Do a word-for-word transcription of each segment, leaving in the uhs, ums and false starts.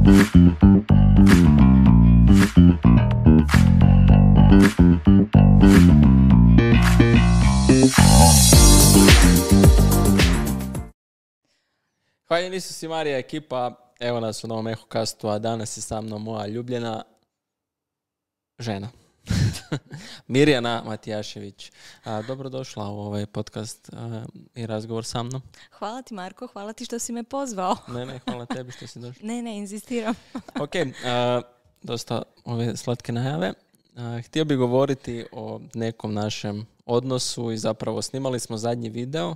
Hvala Isus i Marija ekipa, evo nas u novom Ehokastu, a danas je sa mnom moja ljubljena žena. Mirjana Matijašević. A, dobrodošla u ovaj podcast a, i razgovor sa mnom. Hvala ti Marko, hvala ti što si me pozvao. Ne, ne, hvala tebi što si došla. Ne, ne, inzistiram. Ok, a, dosta ove slatke najave. A, htio bih govoriti o nekom našem odnosu i zapravo snimali smo zadnji video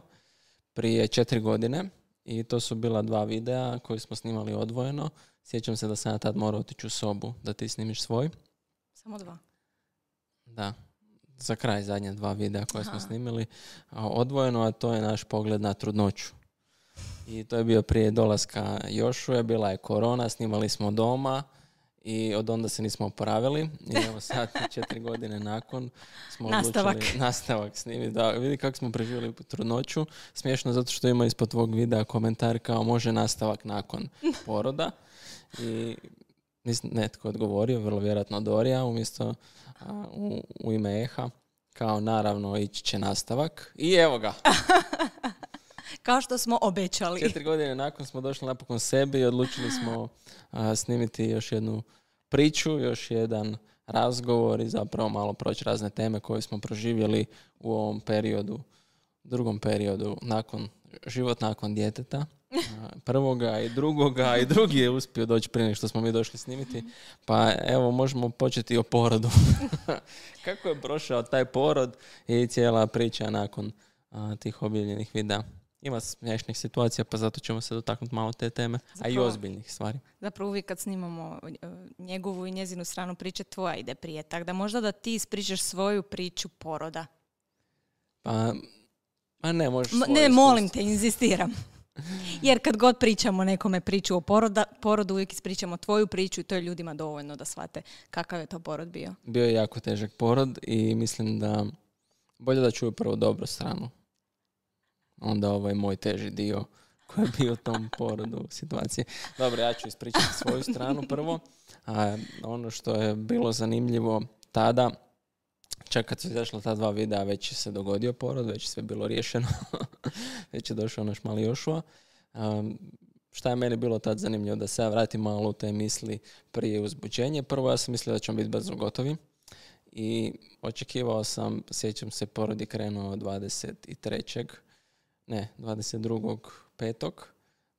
prije četiri godine. I to su bila dva videa koje smo snimali odvojeno. Sjećam se da sam ja tad morao otići u sobu da ti snimiš svoj. Samo dva? Da. Za kraj zadnje dva videa koje Aha. smo snimili odvojeno, a to je naš pogled na trudnoću. I to je bio prije dolaska Jošuje, bila je korona, snimali smo doma i od onda se nismo oporavili. I evo sad, četiri godine nakon, smo nastavak. odlučili nastavak snimiti. Da, vidi kako smo preživjeli trudnoću. Smiješno zato što ima ispod tvog videa komentar kao može nastavak nakon poroda. I netko odgovorio, vrlo vjerojatno Dorija, umjesto a, u, u ime Eha, kao naravno ići će nastavak. I evo ga. Kao što smo obećali. Četiri godine nakon smo došli napokon sebi i odlučili smo a, snimiti još jednu priču, još jedan razgovor i zapravo malo proći razne teme koje smo proživjeli u ovom periodu, drugom periodu, nakon, život nakon djeteta. Prvoga i drugoga i drugi je uspio doći prije nego što smo mi došli snimiti. Pa evo, možemo početi o porodu. Kako je prošao taj porod i cijela priča nakon a, tih objavljenih videa. Ima smiješnih situacija, pa zato ćemo se dotaknuti malo te teme, zapravo, a i ozbiljnih stvari. Zapravo uvijek kad snimamo njegovu i njezinu stranu priče, tvoja ide prije. Tako da možda da ti ispričaš svoju priču poroda. Pa, pa ne, možeš svoju Ne, molim te, inzistiram. Jer kad god pričamo nekome priču o poroda, porodu, uvijek ispričamo tvoju priču i to je ljudima dovoljno da shvate kakav je to porod bio. Bio je jako težak porod i mislim da bolje da čuju prvo dobru stranu. Onda ovaj moj teži dio koji je bio u tom porodu situacije. Dobro, ja ću ispričati svoju stranu prvo. A ono što je bilo zanimljivo tada, čak kad su izašla ta dva videa, već se dogodio porod, već je sve bilo riješeno. Već je došao naš mali Jošua. Um, šta je meni bilo tad zanimljivo? Da se ja vratim malo u te misli prije uzbuđenja. Prvo ja sam mislio da ćemo biti brzo gotovi. I očekivao sam, sjećam se, porod je krenuo dvadeset trećeg Ne, dvadeset drugog petog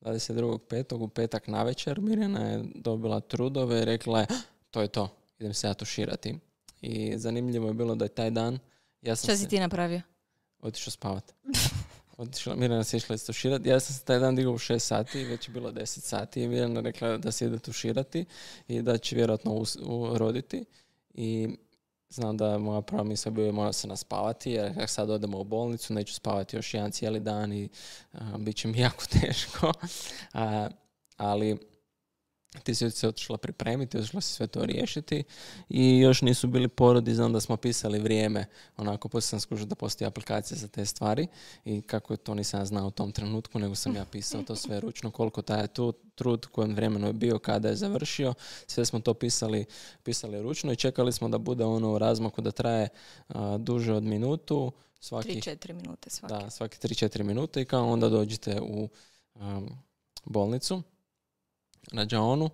dvadeset drugog petog u petak navečer Mirjana je dobila trudove i rekla je to je to, idem se ja tuširati. I zanimljivo je bilo da je taj dan ja sam Šta si se, ti napravio? Otišao spavati. Otišla, Mirjana se išla istuširati. Ja sam se taj dan digao u šest sati, već je bilo deset sati i Mirjana rekla da se ide tuširati i da će vjerojatno us, uroditi. I znam da moja prva misla bio je mora se naspavati, jer kako sad odemo u bolnicu, neću spavati još jedan cijeli dan i a, bit će mi jako teško. A, ali ti si se otišla pripremiti, otišla si sve to riješiti i još nisu bili porodi, znam da smo pisali vrijeme, onako poslije sam skužio da postoji aplikacija za te stvari i kako je to nisam znao u tom trenutku, nego sam ja pisao to sve ručno, koliko taj tu trud, kojem vremenu je bio, kada je završio, sve smo to pisali, pisali ručno i čekali smo da bude ono u razmaku da traje a, duže od minutu. tri četiri minute svaki. Da, svaki tri četiri minute i kao onda dođete u um, bolnicu. Rađaonu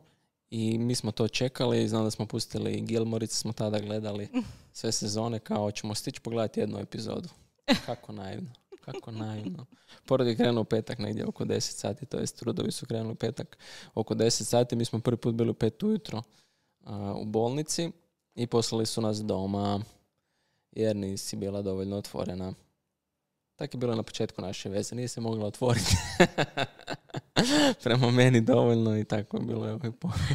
i mi smo to čekali i znam da smo pustili Gilmorice, smo tada gledali sve sezone kao ćemo stići pogledati jednu epizodu. Kako naivno, kako naivno. Porod je krenuo u petak negdje oko deset sati, to jest trudovi su krenuli u petak oko deset sati, mi smo prvi put bili u pet ujutro uh, u bolnici i poslali su nas doma jer nisi bila dovoljno otvorena. Tako je bilo na početku naše veze, nije se mogla otvoriti. Prema meni dovoljno i tako je bilo. Ovaj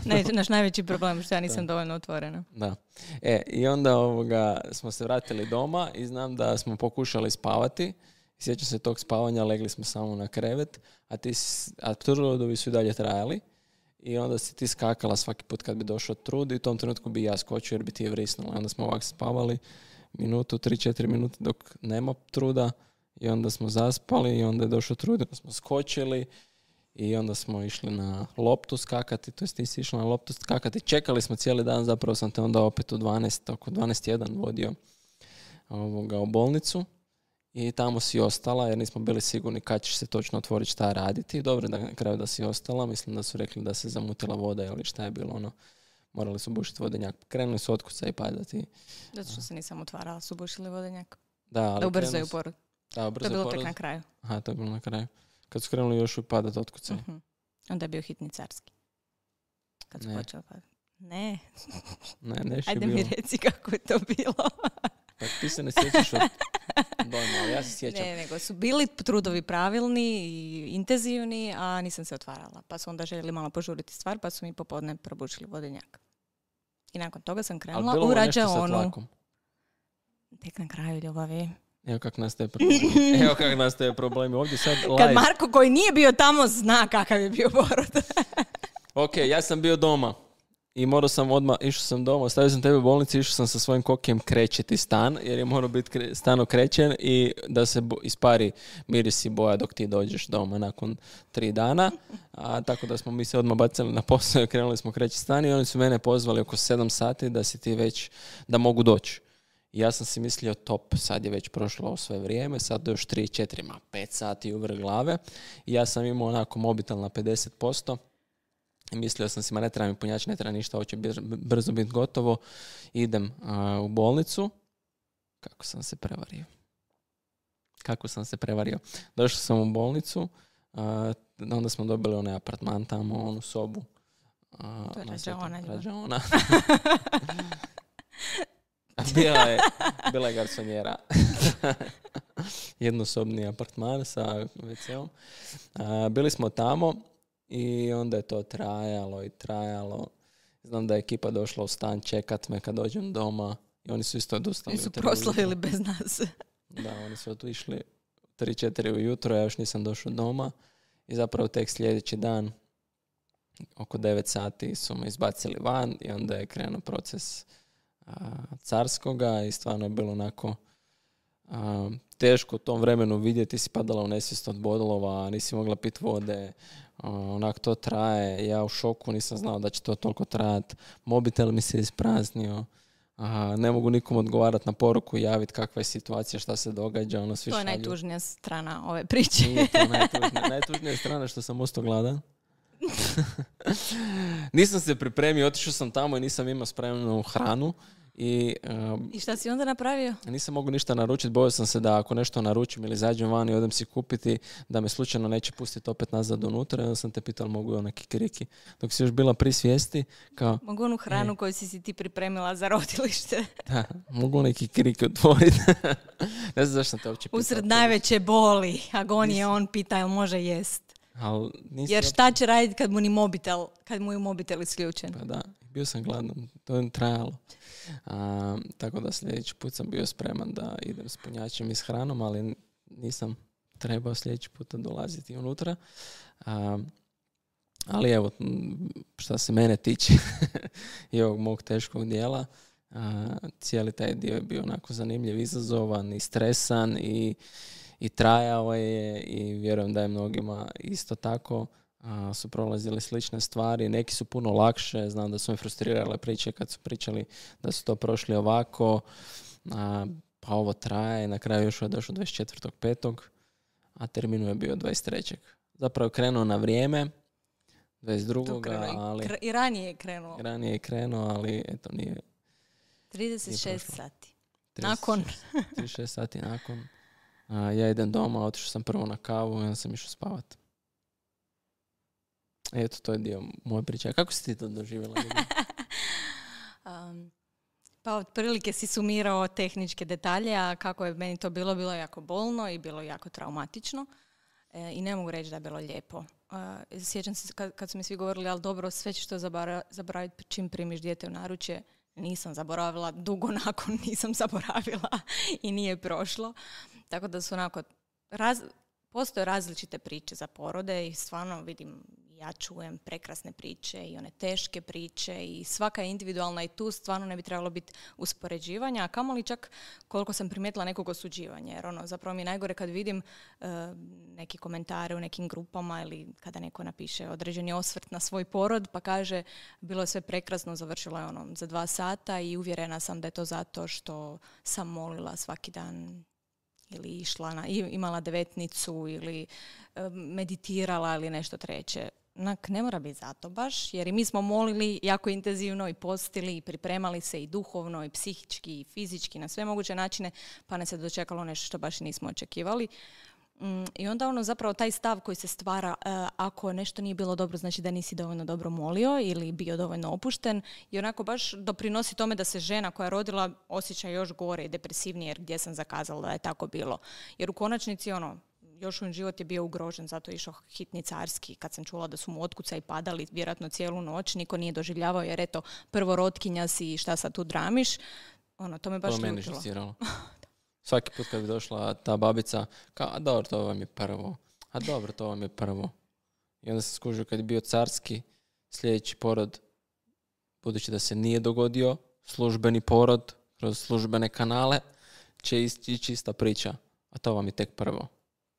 ne, naš najveći problem što ja nisam da. dovoljno otvorena. Da. E, i onda ovoga, smo se vratili doma i znam da smo pokušali spavati. Sjećam se tog spavanja, legli smo samo na krevet, a, ti, a trudovi su i dalje trajali. I onda si ti skakala svaki put kad bi došao trud i u tom trenutku bi ja skočio jer bi ti je vrisnula. Onda smo ovako spavali minutu, tri četiri minute dok nema truda. I onda smo zaspali i onda je došao trud, onda smo skočili I onda smo išli na loptu skakati, to jest ti si išla na loptu skakati. Čekali smo cijeli dan, zapravo sam te onda opet u dvanaest, oko dvanaest jedan vodio ovoga, u bolnicu. I tamo si ostala jer nismo bili sigurni kad ćeš se točno otvoriti šta raditi. Dobro da na kraju da si ostala. Mislim da su rekli da se zamutila voda ili šta je bilo ono. Morali su bušiti vodenjak. Krenuli su otkuca i padati. Zato što se nisam otvarala, su bušili vodenjak. Da, ali da ubrzaju porod. Da, ubrzaju to je bilo porod. tek na kraju. Aha, to je bilo na kraju. Kad su krenuli još u padat otkucaj. Uh-huh. Onda je bio hitni carski. Kad su ne. počeli padati. Ne. Ne, neš Ajde je bilo. mi reci kako je to bilo. Pa ti se ne sjećaš od dojma, ali ja se sjećam. Ne, nego su bili trudovi pravilni i intenzivni, a nisam se otvarala. Pa su onda željeli malo požuriti stvar, pa su mi popodne probušili vodenjak. I nakon toga sam krenula u rađaonu. Tek na kraju, ljubavi. Evo kak nastaje problemi. Evo kak nastaje problemi. Ovdje sad live. Kad Marko koji nije bio tamo zna kakav je bio porod. Ok, ja sam bio doma. I morao sam odmah, išao sam doma, ostavio sam tebe u bolnici, išao sam sa svojim kokijem krećeti stan, jer je morao biti kre, stan okrećen i da se bo, ispari miris i boja dok ti dođeš doma nakon tri dana. A, tako da smo mi se odmah bacili na posao i krenuli smo kreći stan i oni su mene pozvali oko sedam sati da si ti već, da mogu doći. I ja sam si mislio top, sad je već prošlo sve vrijeme, sad još tri, četiri, ma pet sati u vrh glave. I ja sam imao onako mobitel na pedeset posto. I mislio sam si, ma ne treba mi punjač, ne treba ništa, ovo će brzo biti gotovo. Idem a, u bolnicu. Kako sam se prevario. Kako sam se prevario. Došao sam u bolnicu, a, onda smo dobili onaj apartman tamo, onu sobu. A, to je rađaona. Rađaona. bila, je, bila je garsonjera. Jednosobni apartman sa ve ce-om. A, bili smo tamo. I onda je to trajalo i trajalo. Znam da je ekipa došla u stan čekat me kad dođem doma. I oni su isto odustali. Oni su proslavili bez nas. Da, oni su otišli tri četiri ujutro, ja još nisam došao doma. I zapravo tek sljedeći dan, oko devet sati, su me izbacili van i onda je krenuo proces a, carskoga i stvarno je bilo onako a, teško u tom vremenu vidjeti. Si padala u nesvijest od bodolova, nisi mogla piti vode. Onak to traje, ja u šoku, nisam znao da će to toliko trajati. Mobitel mi se ispraznio, a, ne mogu nikom odgovarati na poruku, javiti kakva je situacija, šta se događa. Ono, svi to je šalju. Najtužnija strana ove priče. Nije to najtužnija, najtužnija strana što sam ostao gladan. Nisam se pripremio, otišao sam tamo i nisam imao spremnu hranu. I, um, I šta si onda napravio? Nisam mogu ništa naručiti, bojao sam se da ako nešto naručim ili zađem van i odem si kupiti, da me slučajno neće pustiti opet nazad unutra. I onda sam te pitala mogu ona kikiriki. Dok si još bila pri svijesti, kao... Mogu onu hranu e. koju si si ti pripremila za rodilište. Da, mogu one kikiriki otvoriti. Ne znam zašto sam te uopće pitala. Usred najveće boli, agonije, on pita jel može jest. Al, jer šta će raditi kad mu ni mobitel, kad mu je mobitel isključen? Pa da, bio sam gladan, to je trajalo. A, tako da sljedeći put sam bio spreman da idem s punjačem i s hranom, ali nisam trebao sljedeći puta dolaziti unutra. A, ali evo, šta se mene tiče i ovog mog teškog dijela, a, cijeli taj dio je bio onako zanimljiv, izazovan i stresan i I trajao je i vjerujem da je mnogima isto tako a, su prolazili slične stvari. Neki su puno lakše, znam da su me frustrirale priče kad su pričali da su to prošli ovako, a, pa ovo traje. Na kraju još je došao dvadeset četvrtog petog a termin je bio dvadeset trećeg Zapravo je krenuo na vrijeme, dvadeset drugog ali... Kr- I ranije je krenuo. Ranije je krenuo, ali eto nije... trideset šest sati. trideset šest, Nakon. trideset šest sati nakon. A, ja idem doma, otišao sam prvo na kavu i onda sam išao spavat. Eto, to je dio moje priče. Kako si ti to doživjela? um, pa otprilike si sumirao tehničke detalje, a kako je meni to bilo, bilo jako bolno i bilo jako traumatično. E, I ne mogu reći da je bilo lijepo. E, sjećam se kad, kad su mi svi govorili, ali dobro, sve ćeš to zabara, zaboraviti čim primiš dijete u naručje. Nisam zaboravila, dugo nakon nisam zaboravila i nije prošlo. Tako da su onako, raz, postoje različite priče za porode i stvarno vidim ja čujem prekrasne priče i one teške priče i svaka je individualna i tu stvarno ne bi trebalo biti uspoređivanja, a kamoli čak koliko sam primijetila nekog osuđivanja. Jer ono, zapravo mi je najgore kad vidim uh, neki komentare u nekim grupama ili kada neko napiše određeni osvrt na svoj porod pa kaže bilo je sve prekrasno, završilo je ono za dva sata i uvjerena sam da je to zato što sam molila svaki dan ili išla na, imala devetnicu ili uh, meditirala ili nešto treće. Nak, ne mora biti zato baš, jer i mi smo molili jako intenzivno i postili i pripremali se i duhovno i psihički i fizički na sve moguće načine, pa nas je dočekalo nešto što baš nismo očekivali. Mm, I onda ono zapravo taj stav koji se stvara uh, ako nešto nije bilo dobro, znači da nisi dovoljno dobro molio ili bio dovoljno opušten i onako baš doprinosi tome da se žena koja je rodila osjeća još gore i depresivnije jer gdje sam zakazala da je tako bilo. Jer u konačnici ono, još un život je bio ugrožen, zato je išao hitni carski. Kad sam čula da su mu otkucaji padali vjerojatno cijelu noć, niko nije doživljavao jer eto, prvo rotkinja si i šta sad tu dramiš. Ono, to me baš to ljutilo. Meni svaki put kad bi došla ta babica, kao, a dobro, to vam je prvo. A dobro, to vam je prvo. I onda se skužio kad je bio carski, sljedeći porod, budući da se nije dogodio, službeni porod, kroz službene kanale, će ići čista priča. A to vam je tek prvo.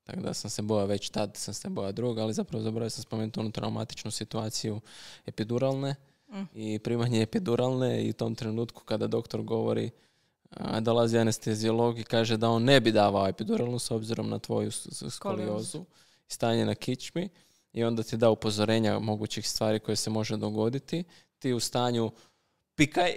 Tako da sam se bojao već tad, sam se bojao druga, ali zapravo zaboravio sam spomenuti onu traumatičnu situaciju epiduralne mm. i primanje epiduralne i u tom trenutku kada doktor govori, a, dolazi anesteziolog i kaže da on ne bi davao epiduralnu s obzirom na tvoju skoliozu i stanje na kičmi i onda ti da upozorenja mogućih stvari koje se može dogoditi. Ti u stanju pikaj,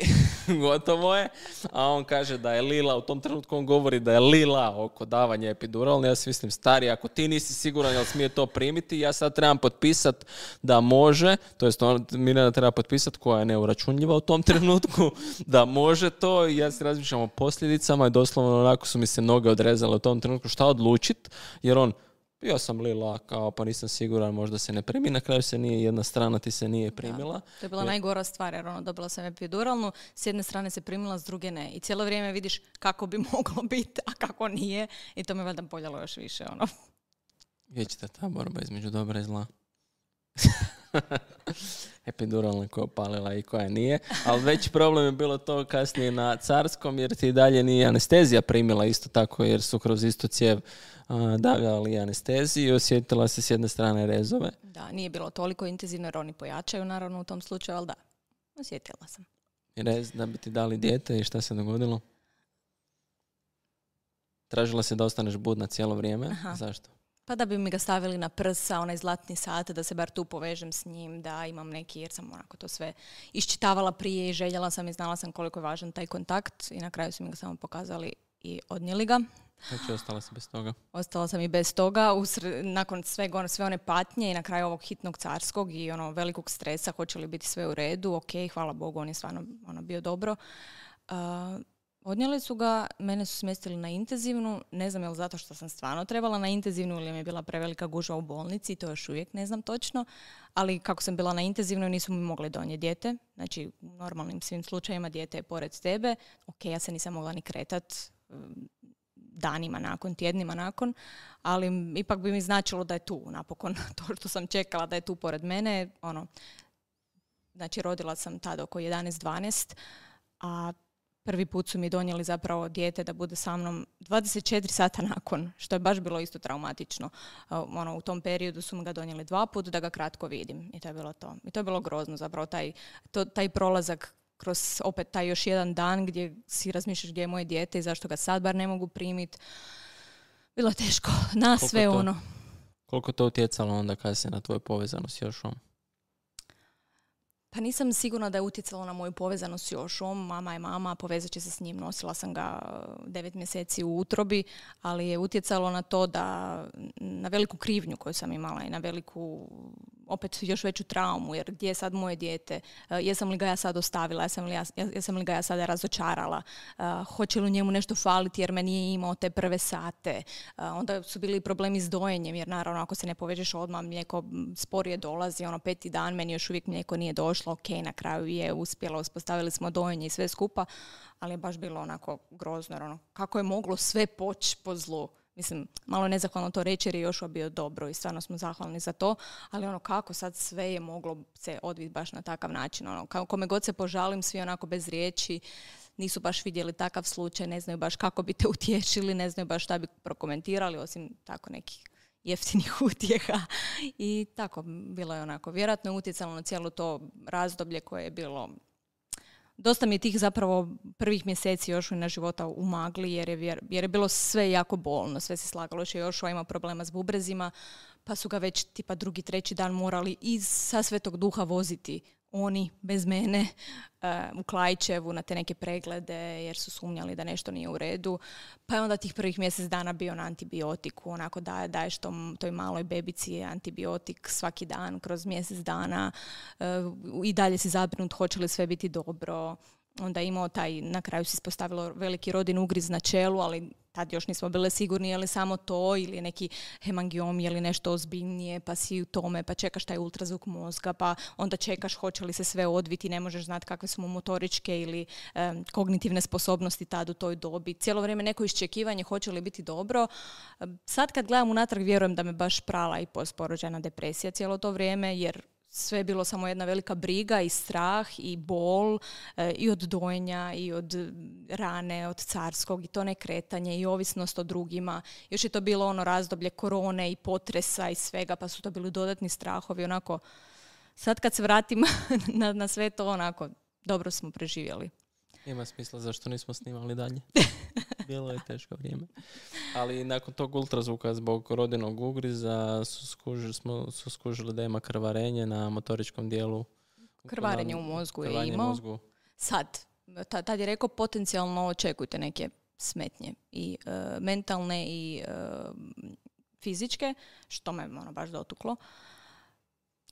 gotovo je, a on kaže da je lila, u tom trenutku on govori da je lila oko davanja epiduralne, ja si mislim, stari, ako ti nisi siguran jel smije to primiti, ja sad trebam potpisat da može, to jest on, Mirjana treba potpisat koja je neuračunljiva u tom trenutku, da može to i ja se razmišljam o posljedicama i doslovno onako su mi se noge odrezale u tom trenutku šta odlučit, jer on ja sam lila, kao pa nisam siguran, možda se ne primi, na kraju se nije, jedna strana ti se nije primila. Da, to je bila jer... najgora stvar, jer ono, dobila sam epiduralnu, s jedne strane se primila, s druge ne. I cijelo vrijeme vidiš kako bi moglo biti, a kako nije. I to me valjda boljalo još više. Ono. Vječita ta borba između dobra i zla. Epiduralna koja je opalila i koja nije. Ali veći problem je bilo to kasnije na carskom, jer ti dalje nije anestezija primila isto tako, jer su kroz istu cijev uh, davljali anesteziju i osjetila se s jedne strane rezove. Da, nije bilo toliko intenzivno jer oni pojačaju naravno u tom slučaju, ali da, osjetila sam. I rez da bi ti dali dijete i šta se dogodilo? Tražila se da ostaneš budna cijelo vrijeme. Aha. Zašto? Pa da bi mi ga stavili na prsa, onaj zlatni sat, da se bar tu povežem s njim, da imam neki, jer sam onako to sve iščitavala prije i željela sam i znala sam koliko je važan taj kontakt i na kraju su mi ga samo pokazali i odnijeli ga. Znači, ostala si bez toga? Ostala sam i bez toga, usred, nakon sve, sve one patnje i na kraju ovog hitnog carskog i ono velikog stresa, hoće li biti sve u redu, ok, hvala Bogu, on je stvarno ono, bio dobro. Uh, Odnijeli su ga, mene su smjestili na intenzivnu, ne znam je li zato što sam stvarno trebala na intenzivnu ili mi je bila prevelika gužva u bolnici, to još uvijek ne znam točno, ali kako sam bila na intenzivnoj nisu mi mogli donijeti dijete, znači u normalnim svim slučajima dijete je pored tebe, ok, ja se nisam mogla ni kretat danima nakon, tjednima nakon, ali ipak bi mi značilo da je tu napokon to što sam čekala da je tu pored mene, ono, znači rodila sam tada oko jedanaest dvanaest, a prvi put su mi donijeli zapravo dijete da bude sa mnom dvadeset četiri sata nakon, što je baš bilo isto traumatično. Uh, ono, u tom periodu su mi ga donijeli dva puta da ga kratko vidim. I to je bilo to. I to je bilo grozno zapravo, taj, to, taj prolazak kroz opet taj još jedan dan gdje si razmišljaš gdje je moje dijete i zašto ga sad bar ne mogu primiti. Bilo je teško. Na koliko sve to, ono. Koliko to utjecalo onda kada se na tvoju povezanost s Jošom? Pa nisam sigurna da je utjecalo na moju povezanost s Jošom. Mama je mama, povezat će se s njim. Nosila sam ga devet mjeseci u utrobi, ali je utjecalo na to da, na veliku krivnju koju sam imala i na veliku, opet još veću traumu, jer gdje je sad moje dijete? Jesam li ga ja sad ostavila? Jesam li, ja, jesam li ga ja sada razočarala? Hoće li njemu nešto faliti jer me nije imao te prve sate? Onda su bili problemi s dojenjem, jer naravno ako se ne povežeš odmah, mlijeko sporije dolazi, ono peti dan, meni još uvijek mlijeko nije došlo. Ok, na kraju je uspjela, uspostavili smo dojenje i sve skupa, ali je baš bilo onako grozno. Ono, kako je moglo sve poći po zlu? mislim, malo nezahvalno to reći jer je Joshua bio dobro i stvarno smo zahvalni za to, ali ono kako sad sve je moglo se odviti baš na takav način. Ono, kao kome god se požalim, svi onako bez riječi, nisu baš vidjeli takav slučaj, ne znaju baš kako bi te utješili, ne znaju baš šta bi prokomentirali, osim tako nekih jeftinih utjeha. I tako, bilo je onako. Vjerojatno je utjecalo na cijelo to razdoblje koje je bilo... Dosta mi je tih zapravo prvih mjeseci Joshua na života u magli, jer je, vjer, jer je bilo sve jako bolno. Sve se slagalo, još je Joshua ima problema s bubrezima, pa su ga već tipa drugi, treći dan morali iz sa Svetog Duha voziti oni, bez mene, uh, u Klaićevu na te neke preglede, jer su sumnjali da nešto nije u redu. Pa je onda tih prvih mjesec dana bio na antibiotiku, onako da daješ tom, toj maloj bebici antibiotik svaki dan kroz mjesec dana. Uh, I dalje si zabrinut hoće li sve biti dobro. Onda je imao taj, na kraju se ispostavilo veliki rodin ugriz na čelu, ali tad još nismo bile sigurni je li samo to ili neki hemangiom ili nešto ozbiljnije, pa si u tome, pa čekaš taj ultrazvuk mozga, pa onda čekaš hoće li se sve odviti, ne možeš znati kakve su mu motoričke ili um, kognitivne sposobnosti tad u toj dobi. Cijelo vrijeme neko iščekivanje hoće li biti dobro. Sad kad gledam unatrag vjerujem da me baš prala i postporođajna depresija cijelo to vrijeme, jer sve je bilo samo jedna velika briga i strah i bol e, i od dojenja i od rane, od carskog i to nekretanje i ovisnost o drugima. Još je to bilo ono razdoblje korone i potresa i svega, pa su to bili dodatni strahovi. Onako, sad kad se vratim na, na sve to, onako, dobro smo preživjeli. Ima smisla zašto nismo snimali dalje. Bilo je teško vrijeme. Ali nakon tog ultrazvuka zbog rodinog ugriza su skužili, smo, su skužili da ima krvarenje na motoričkom dijelu. Krvarenje u mozgu je imao. Mozgu. Sad, tad je rekao potencijalno očekujte neke smetnje. I uh, mentalne i uh, fizičke, što me ono baš dotuklo.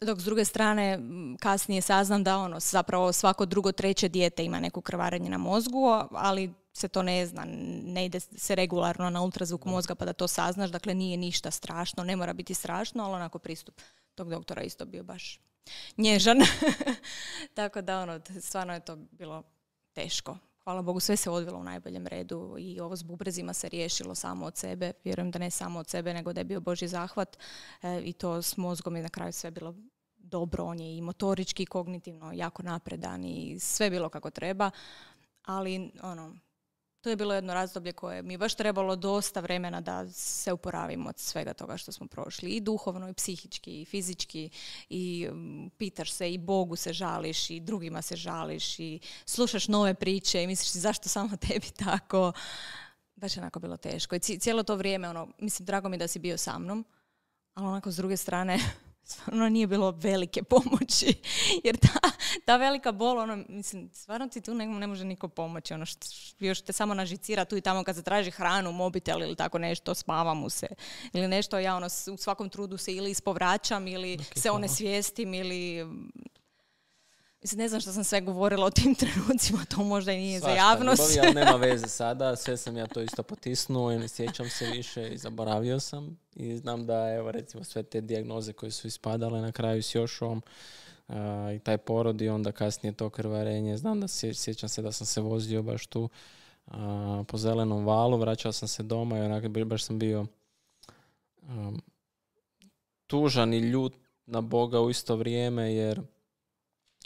Dok s druge strane kasnije saznam da ono zapravo svako drugo, treće dijete ima neku krvarenje na mozgu, ali se to ne zna, ne ide se regularno na ultrazvuk mozga pa da to saznaš, dakle nije ništa strašno, ne mora biti strašno, ali onako pristup tog doktora isto bio baš nježan. Tako da ono, stvarno je to bilo teško. Hvala Bogu, sve se odvilo u najboljem redu i ovo s bubrezima se riješilo samo od sebe. Vjerujem da ne samo od sebe, nego da je bio Božji zahvat e, i to s mozgom je na kraju sve bilo dobro. On je i motorički i kognitivno jako napredan i sve bilo kako treba. Ali ono, to je bilo jedno razdoblje koje mi je baš trebalo dosta vremena da se oporavimo od svega toga što smo prošli. I duhovno, i psihički, i fizički. I um, pitaš se, i Bogu se žališ, i drugima se žališ, i slušaš nove priče i misliš zašto samo tebi tako. Baš je onako bilo teško. I cijelo to vrijeme, ono, mislim, drago mi da si bio sa mnom, ali onako s druge strane... stvarno nije bilo velike pomoći, jer ta, ta velika bol, ono, mislim, stvarno ti tu ne, ne može niko pomoći, ono, što, još te samo nažicira tu i tamo kad se traži hranu, mobitel ili tako nešto, spava mu se, ili nešto, ja ono, u svakom trudu se ili ispovraćam, ili okay, se onesvijestim, ili... Mislim, ne znam što sam sve govorila o tim trenucima, to možda i nije Svašta, za javnost. Ljubavi, ali nema veze sada, sve sam ja to isto potisnuo i ne sjećam se više i zaboravio sam. I znam da, evo, recimo, sve te dijagnoze koje su ispadale na kraju s Jošom uh, i taj porod i onda kasnije to krvarenje. Znam da se, sjećam se da sam se vozio baš tu uh, po Zelenom valu, vraćao sam se doma i onako baš sam bio um, tužan i ljut na Boga u isto vrijeme, jer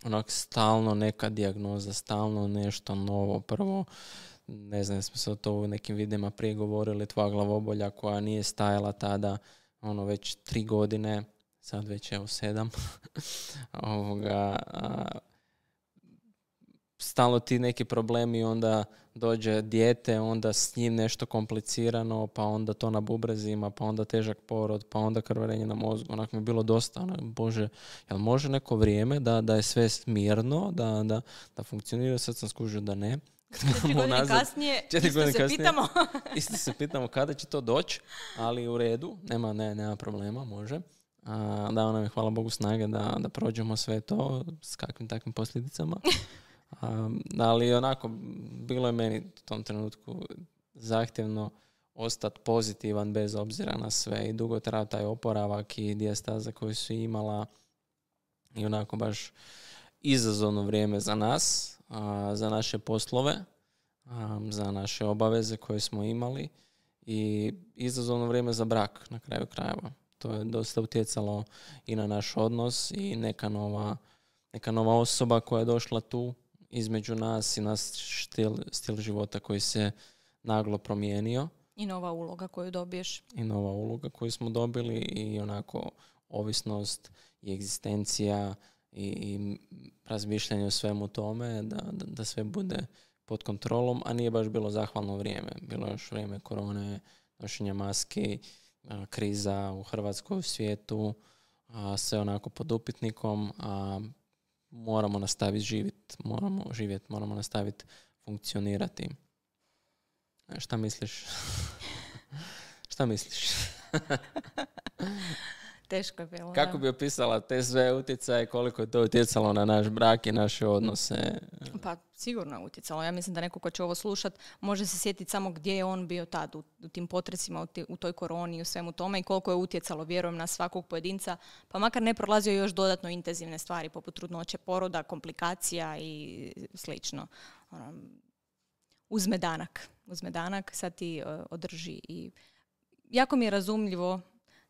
onak stalno neka dijagnoza, stalno nešto novo. Prvo, ne znam, smo se o to u nekim videima prije govorili, tvoja glavobolja koja nije stajala tada, ono, već tri godine, sad već evo sedam. Ovoga, a, stalno ti neki problemi, onda dođe dijete, onda s njim nešto komplicirano, pa onda to na bubrezima, pa onda težak porod, pa onda krvarenje na mozgu. Onako mi je bilo dosta. Onak, Bože, jel može neko vrijeme da, da je sve mirno, da, da, da funkcionira? Sad sam skužio da ne. Četiri godine kasnije, isto se kasnije, pitamo. isto se pitamo kada će to doći, ali u redu, nema, ne, nema problema, može. A, dao nam je, hvala Bogu, snage da, da prođemo sve to s kakvim takvim posljedicama. Um, ali onako, bilo je meni u tom trenutku zahtjevno ostati pozitivan bez obzira na sve i dugo trajao taj oporavak i dijastaza koju su imala i onako baš izazovno vrijeme za nas, uh, za naše poslove, um, za naše obaveze koje smo imali i izazovno vrijeme za brak na kraju krajeva. To je dosta utjecalo i na naš odnos i neka nova, neka nova osoba koja je došla tu između nas i naš stil, stil života koji se naglo promijenio. I nova uloga koju dobiješ. I nova uloga koju smo dobili i onako ovisnost i egzistencija i, i razmišljanje o svemu tome, da, da, da sve bude pod kontrolom, a nije baš bilo zahvalno vrijeme. Bilo je još vrijeme korone, nošenja maski, a, kriza u Hrvatskoj, u svijetu, a, sve onako pod upitnikom, a moramo nastaviti živjeti, moramo živjeti, moramo nastaviti funkcionirati. E, šta misliš? Šta misliš? Teško je bilo. Kako bi opisala te sve utjecaje, koliko je to utjecalo na naš brak i naše odnose? Pa sigurno je utjecalo. Ja mislim da neko ko će ovo slušat može se sjetiti samo gdje je on bio tad u, u tim potresima, u, ti, u toj koroni i u svemu tome i koliko je utjecalo, vjerujem, na svakog pojedinca. Pa makar ne prolazio još dodatno intenzivne stvari poput trudnoće, poroda, komplikacija i slično. Ono, uzme danak. Uzme danak, sad ti uh, održi. I jako mi je razumljivo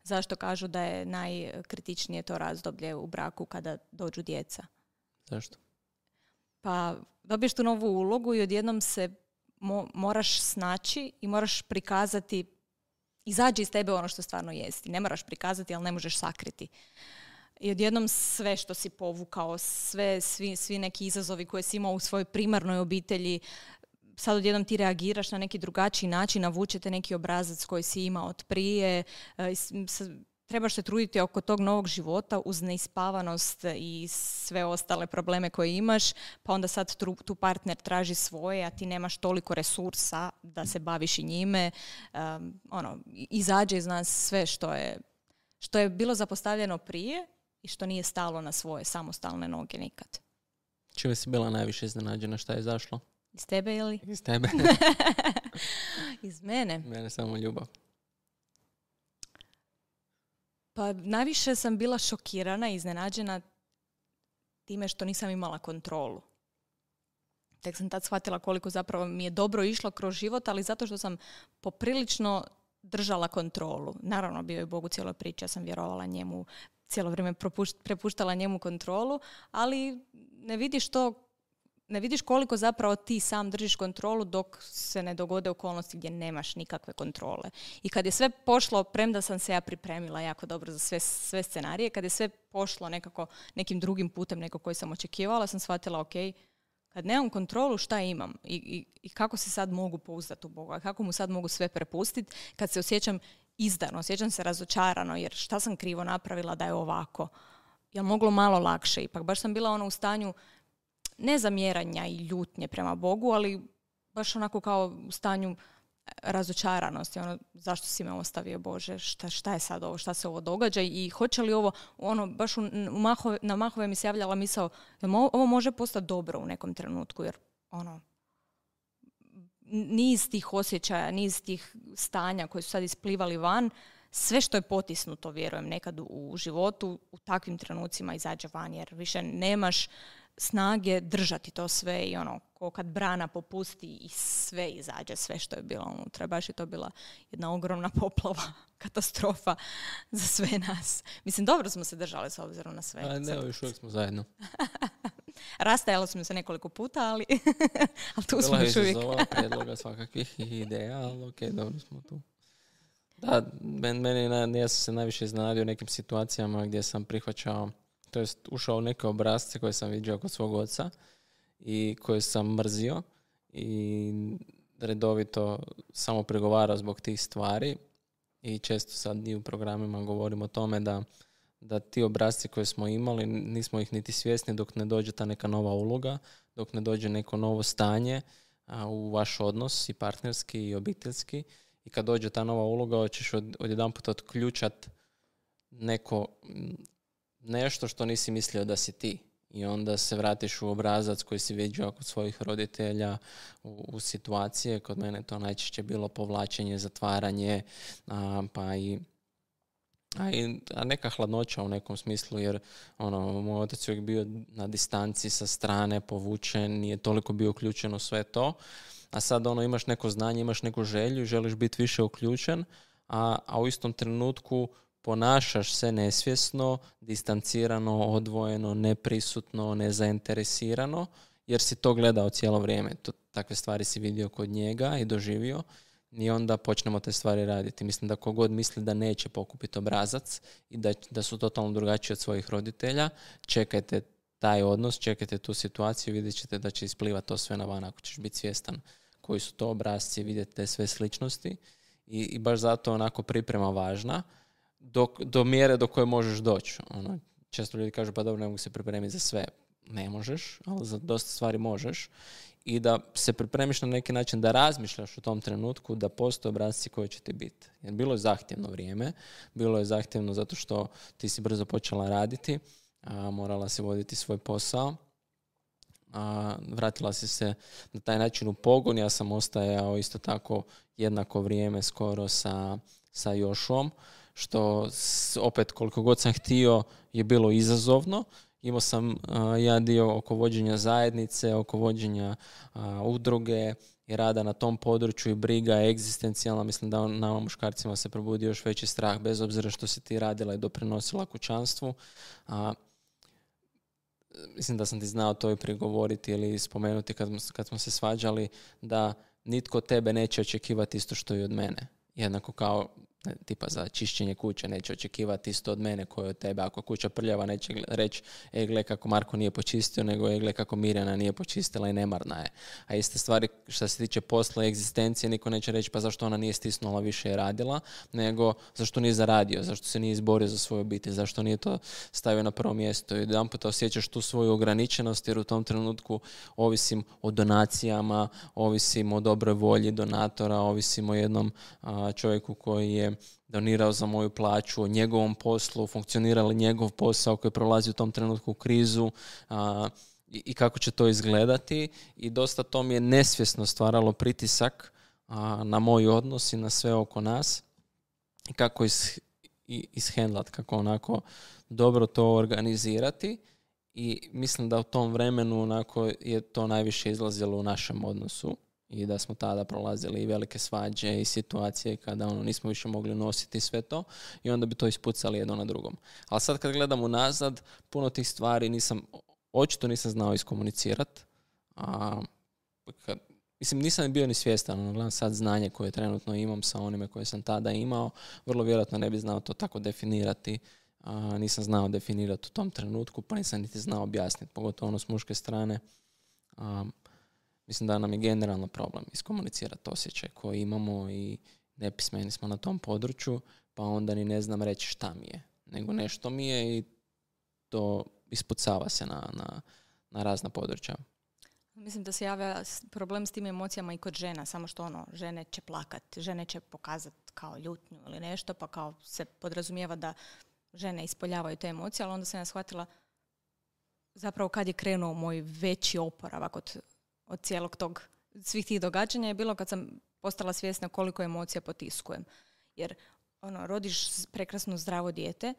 zašto kažu da je najkritičnije to razdoblje u braku kada dođu djeca. Zašto? Pa dobiješ tu novu ulogu i odjednom se mo- moraš snaći i moraš prikazati, izađi iz tebe ono što stvarno jesti. Ne moraš prikazati, ali ne možeš sakriti. I odjednom sve što si povukao, sve, svi, svi neki izazovi koje si imao u svojoj primarnoj obitelji, sad odjednom ti reagiraš na neki drugačiji način, navučete neki obrazac koji si imao od prije, trebaš se truditi oko tog novog života uz neispavanost i sve ostale probleme koje imaš, pa onda sad tu, tu partner traži svoje, a ti nemaš toliko resursa da se baviš i njime. Um, ono, izađe iz nas sve što je, što je bilo zapostavljeno prije i što nije stalo na svoje samostalne noge nikad. Čime si bila najviše iznenađena, šta je zašlo? Iz tebe ili? Iz tebe. Iz mene? Mene samo ljubav. Pa najviše sam bila šokirana i iznenađena time što nisam imala kontrolu. Tek sam tad shvatila koliko zapravo mi je dobro išlo kroz život, ali zato što sam poprilično držala kontrolu. Naravno, bio je Bog u cijeloj priči, ja sam vjerovala njemu, cijelo vrijeme prepuštala njemu kontrolu, ali ne vidiš to, ne vidiš koliko zapravo ti sam držiš kontrolu dok se ne dogode okolnosti gdje nemaš nikakve kontrole. I kad je sve pošlo, premda sam se ja pripremila jako dobro za sve, sve scenarije, kad je sve pošlo nekako nekim drugim putem nego koji sam očekivala, sam shvatila, ok, kad nemam kontrolu, šta imam? I, i, i kako se sad mogu pouzdati u Boga? Kako mu sad mogu sve prepustiti kad se osjećam izdano, osjećam se razočarano, jer šta sam krivo napravila da je ovako? Jel moglo malo lakše? Ipak baš sam bila ono u stanju ne zamjeranja i ljutnje prema Bogu, ali baš onako kao u stanju razočaranosti. Ono, zašto si me ostavio, Bože? Šta, šta je sad ovo? Šta se ovo događa? I hoće li ovo, ono, baš u, u mahove, na mahove mi se javljala misao, ovo može postati dobro u nekom trenutku, jer ono, niz tih osjećaja, niz tih stanja koji su sad isplivali van, sve što je potisnuto, vjerujem, nekad u, u životu, u takvim trenucima izađe van, jer više nemaš snage držati to sve i ono, ko kad brana popusti i sve izađe, sve što je bilo unutra. Baš je to bila jedna ogromna poplava, katastrofa za sve nas. Mislim, dobro smo se držali s obzirom na sve. A ne, još uvijek smo zajedno. Rastajalo smo se nekoliko puta, ali, ali tu smo još uvijek. Bila je predloga svakakvih ideja, ali ok, dobro smo tu. Da, meni, meni, ja sam se najviše iznenadio nekim situacijama gdje sam prihvaćao, to jest ušao u neke obrazce koje sam vidio kod svog oca i koje sam mrzio i redovito samo pregovarao zbog tih stvari i često sad i u programima govorim o tome da, da ti obrazci koje smo imali nismo ih niti svjesni dok ne dođe ta neka nova uloga, dok ne dođe neko novo stanje a, u vaš odnos i partnerski i obiteljski. I kad dođe ta nova uloga, hoćeš od, odjedanput otključat neko, nešto što nisi mislio da si ti. I onda se vratiš u obrazac koji si vidio kod svojih roditelja u, u situacije. Kod mene to najčešće bilo povlačenje, zatvaranje, a, pa i A, i, a neka hladnoća u nekom smislu, jer ono, moj otac je uvijek bio na distanci sa strane, povučen, nije toliko bio uključen u sve to. A sad ono, imaš neko znanje, imaš neku želju, želiš biti više uključen, a, a u istom trenutku ponašaš se nesvjesno, distancirano, odvojeno, neprisutno, nezainteresirano, jer si to gledao cijelo vrijeme. To, takve stvari si vidio kod njega i doživio. I onda počnemo te stvari raditi. Mislim da kogod misli da neće pokupiti obrazac i da, da su totalno drugačiji od svojih roditelja, čekajte taj odnos, čekajte tu situaciju, vidjet ćete da će isplivati to sve na van ako ćeš biti svjestan koji su to obrazci, vidjeti te sve sličnosti. I, i baš zato onako priprema važna do, do mjere do koje možeš doći. Ono, često ljudi kažu pa dobro, ne mogu se pripremiti za sve. Ne možeš, ali za dosta stvari možeš. I da se pripremiš na neki način, da razmišljaš u tom trenutku da postoje obrazci koji će ti biti. Jer bilo je zahtjevno vrijeme, bilo je zahtjevno zato što ti si brzo počela raditi, a morala si voditi svoj posao, a vratila si se na taj način u pogon. Ja sam ostajao isto tako jednako vrijeme skoro sa, sa Jošom, što opet koliko god sam htio je bilo izazovno. Imao sam uh, jedan dio oko vođenja zajednice, oko vođenja uh, udruge i rada na tom području i briga egzistencijalna. Mislim da on, nama muškarcima se probudi još veći strah, bez obzira što si ti radila i doprinosila kućanstvu. Uh, mislim da sam ti znao to i prigovoriti ili spomenuti kad, kad smo se svađali, da nitko tebe neće očekivati isto što i od mene. Jednako kao tipa za čišćenje kuće neće očekivati isto od mene koje od tebe. Ako kuća prljava neće reći e gle kako Marko nije počistio, nego e gle kako Mirjana nije počistila i nemarna je. A iste stvari što se tiče posla i egzistencije, niko neće reći pa zašto ona nije stisnula više i radila, nego zašto nije zaradio, zašto se nije izborio za svoju obitelj, zašto nije to stavio na prvo mjesto. I jedan puta osjećaš tu svoju ograničenost jer u tom trenutku ovisim o donacijama, ovisim o dobroj volji donatora, ovisim o jednom a, čovjeku koji je donirao za moju plaću, o njegovom poslu, funkcionirali njegov posao koji prolazi u tom trenutku u krizu a, i, i kako će to izgledati. I dosta to mi je nesvjesno stvaralo pritisak a, na moj odnos i na sve oko nas i kako is, ishendlat, kako onako dobro to organizirati. I mislim da u tom vremenu onako je to najviše izlazilo u našem odnosu. I da smo tada prolazili i velike svađe i situacije kada ono, nismo više mogli nositi sve to i onda bi to ispucali jedno na drugom. Ali sad kad gledam unazad, puno tih stvari nisam, očito nisam znao iskomunicirati. A, kad, mislim, nisam bio ni svjestan, ono, gledam sad znanje koje trenutno imam sa onime koje sam tada imao, vrlo vjerojatno ne bi znao to tako definirati. A, nisam znao definirati u tom trenutku, pa nisam niti znao objasniti, pogotovo ono s muške strane. A, Mislim da nam je generalno problem iskomunicirati osjećaj koji imamo i nepismeni smo na tom području, pa onda ni ne znam reći šta mi je, nego nešto mi je i to ispucava se na, na, na razna područja. Mislim da se javlja problem s tim emocijama i kod žena, samo što ono, žene će plakat, žene će pokazati kao ljutnju ili nešto, pa kao se podrazumijeva da žene ispoljavaju te emocije, ali onda sam ja shvatila zapravo kad je krenuo moj veći oporavak od od cijelog tog, svih tih događanja je bilo kad sam postala svjesna koliko emocija potiskujem. Jer ono, rodiš prekrasno zdravo dijete,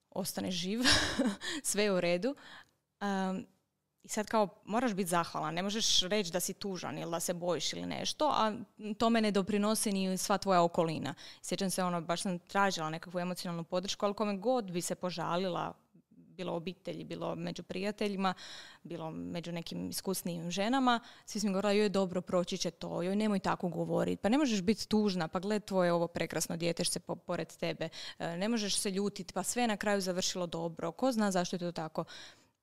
ostaneš živ, sve je u redu. Um, I sad kao moraš biti zahvalan, ne možeš reći da si tužan ili da se bojiš ili nešto, a tome ne doprinosi ni sva tvoja okolina. Sjećam se, ono, baš sam tražila nekakvu emocionalnu podršku, ali kome god bi se požalila, bilo obitelji, bilo među prijateljima, bilo među nekim iskusnijim ženama, svi smo govorili, joj dobro, proći će to, joj nemoj tako govoriti, pa ne možeš biti tužna, pa gled tvoje ovo prekrasno dijete što se po, pored tebe, ne možeš se ljutiti, pa sve je na kraju završilo dobro, ko zna zašto je to tako.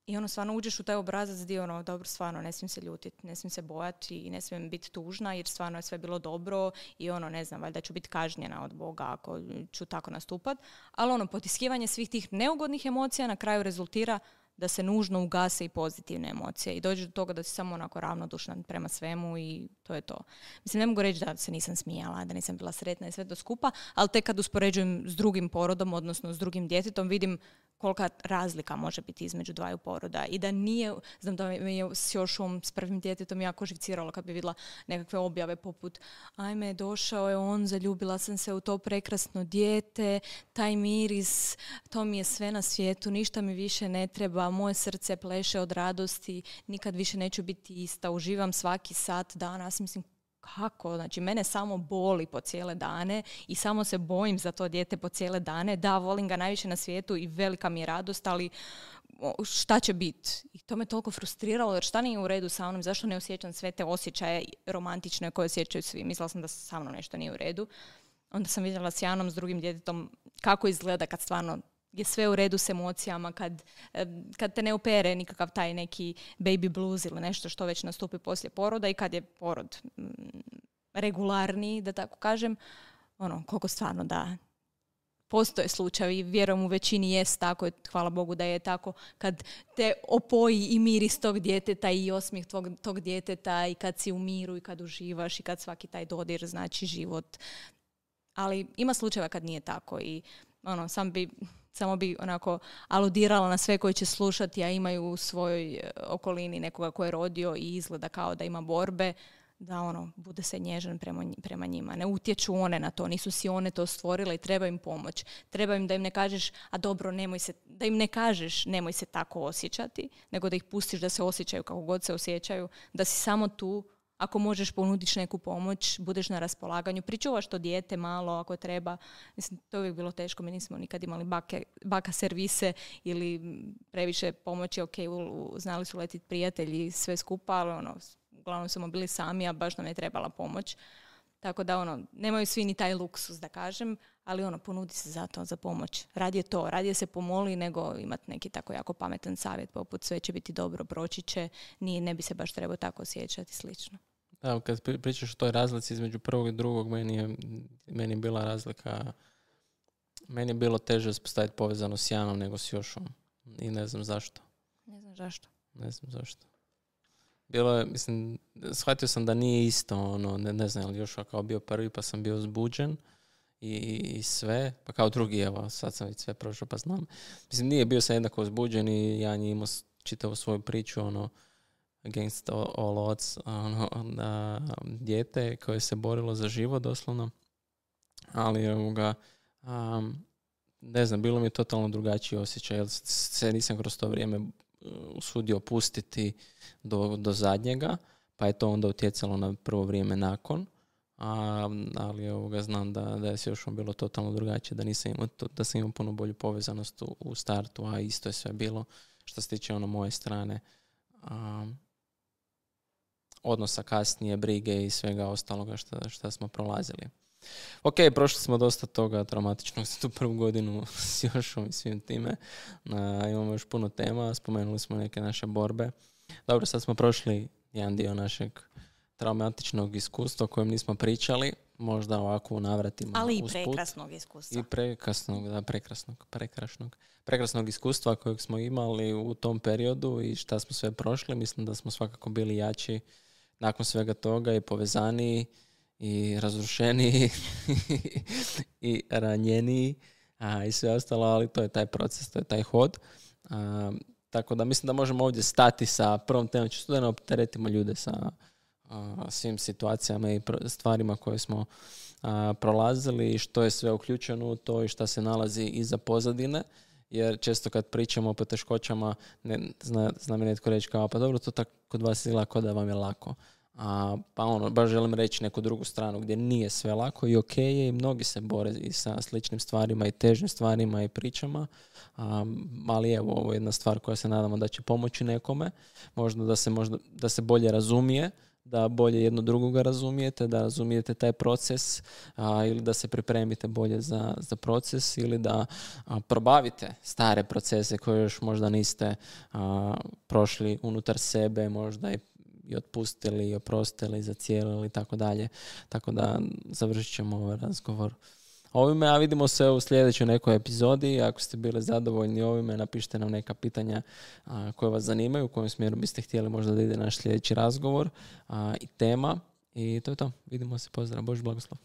I ono, stvarno uđeš u taj obrazac gdje ono, dobro, stvarno ne smijem se ljutiti, ne smijem se bojati i ne smijem biti tužna jer stvarno je sve bilo dobro i ono, ne znam, valjda ću biti kažnjena od Boga ako ću tako nastupat. Ali ono, potiskivanje svih tih neugodnih emocija na kraju rezultira da se nužno ugase i pozitivne emocije i dođe do toga da si samo onako ravnodušna prema svemu i to je to. Mislim, ne mogu reći da se nisam smijala, da nisam bila sretna i sve to skupa, ali tek kad uspoređujem s drugim porodom, odnosno s drugim djetetom, vidim kolika razlika može biti između dvaju poroda i da nije, znam da me je s Jošom, s prvim djetetom jako živciralo kad bi vidjela nekakve objave poput ajme, došao je on, zaljubila sam se u to prekrasno dijete, taj miris, to mi je sve na svijetu, ništa mi više ne treba, moje srce pleše od radosti, nikad više neću biti ista, uživam svaki sat danas, mislim, kako? Znači, mene samo boli po cijele dane i samo se bojim za to dijete po cijele dane. Da, volim ga najviše na svijetu i velika mi je radost, ali šta će biti? I to me toliko frustriralo, jer šta nije u redu sa mnom? Zašto ne osjećam sve te osjećaje romantične koje osjećaju svi? Mislila sam da sa mnom nešto nije u redu. Onda sam vidjela s Janom, s drugim djetetom, kako izgleda kad stvarno je sve u redu s emocijama, kad, kad te ne opere nikakav taj neki baby blues ili nešto što već nastupi poslije poroda i kad je porod mm, regularniji, da tako kažem, ono, koliko stvarno da postoje slučajevi, vjerujem u većini jest tako, hvala Bogu da je tako, kad te opoji i miris tog djeteta i osmijeh tog, tog djeteta i kad si u miru i kad uživaš i kad svaki taj dodir znači život. Ali ima slučajeva kad nije tako i ono, sam bi... Samo bi onako aludirala na sve koji će slušati, a imaju u svojoj okolini nekoga ko je rodio i izgleda kao da ima borbe, da ono, bude se nježan prema, prema njima. Ne utječu one na to, nisu si one to stvorile i treba im pomoć. Treba im da im ne kažeš, a dobro, nemoj se, da im ne kažeš nemoj se tako osjećati, nego da ih pustiš da se osjećaju kako god se osjećaju, da si samo tu. Ako možeš ponudiš neku pomoć, budeš na raspolaganju, pričuvaš to dijete malo ako treba. Mislim, to je uvijek bilo teško, mi nismo nikad imali bake, baka servise ili previše pomoći, ok, u, u, znali su letiti prijatelji sve skupa, ali ono, uglavnom smo bili sami, a baš nam je trebala pomoć. Tako da ono, nemaju svi ni taj luksus da kažem, ali ono, ponudi se za to, za pomoć. Radije to, radije se pomoli nego imati neki tako jako pametan savjet poput sve će biti dobro, proći će, ni, ne bi se baš trebao tako osjećati slično. Da, kad pričaš o toj razlici između prvog i drugog, meni je, meni je bila razlika, meni je bilo teže uspostaviti povezano s Janom nego s Jošom. I ne znam zašto. Ne znam zašto. Ne znam zašto. Bilo je, mislim, shvatio sam da nije isto, ono, ne, ne znam, ali Jošua kao bio prvi pa sam bio uzbuđen i, i sve, pa kao drugi, evo, sad sam već sve prošao pa znam. Mislim, nije bio sam jednako uzbuđen i Jan je imao čitavu svoju priču, ono, against all, all odds, ono, da, dijete koje se borilo za život doslovno, ali ovoga, um, ne znam, bilo mi je totalno drugačiji osjećaj, jer se nisam kroz to vrijeme usudio pustiti do, do zadnjega, pa je to onda utjecalo na prvo vrijeme nakon, a, ali ovoga, znam da, da je se još bilo totalno drugačije, da, nisam imao to, da sam imao puno bolju povezanost u, u startu, a isto je sve bilo što se tiče ono moje strane. Um, odnosa kasnije, brige i svega ostaloga što, što smo prolazili. Ok, prošli smo dosta toga traumatičnog za tu prvu godinu s Jošom i svim time. Uh, imamo još puno tema, spomenuli smo neke naše borbe. Dobro, sad smo prošli jedan dio našeg traumatičnog iskustva o kojem nismo pričali, možda ovako u navratima. Ali i prekrasnog iskustva. I prekrasnog, da, prekrasnog, prekrasnog, prekrasnog iskustva kojeg smo imali u tom periodu i šta smo sve prošli. Mislim da smo svakako bili jači nakon svega toga i povezaniji i razrušeniji i ranjeniji a, i sve ostalo, ali to je taj proces, to je taj hod. A, tako da mislim da možemo ovdje stati sa prvom temom, čisto da ne opteretimo ljude sa a, svim situacijama i stvarima koje smo a, prolazili i što je sve uključeno u to i šta se nalazi iza pozadine. Jer često kad pričamo o poteškoćama, ne, zna, zna mi netko reći kao, pa dobro, to tako kod vas izgleda kao da vam je lako. A, pa ono, baš želim reći neku drugu stranu gdje nije sve lako i ok je i mnogi se bore i sa sličnim stvarima i težnim stvarima i pričama. A, ali evo, ovo je jedna stvar koja se nadamo da će pomoći nekome. Možda da se, možda, da se bolje razumije, da bolje jedno drugoga razumijete, da razumijete taj proces a, ili da se pripremite bolje za, za proces ili da a, probavite stare procese koje još možda niste a, prošli unutar sebe, možda i, i otpustili, i oprostili, zacijelili i tako dalje. Tako da završit ćemo ovaj razgovor ovime, a vidimo se u sljedećoj nekoj epizodi. Ako ste bili zadovoljni ovime, napišite nam neka pitanja a, koje vas zanimaju, u kojem smjeru biste htjeli možda da ide naš sljedeći razgovor a, i tema. I to je to. Vidimo se. Pozdrav. Bož blagoslov.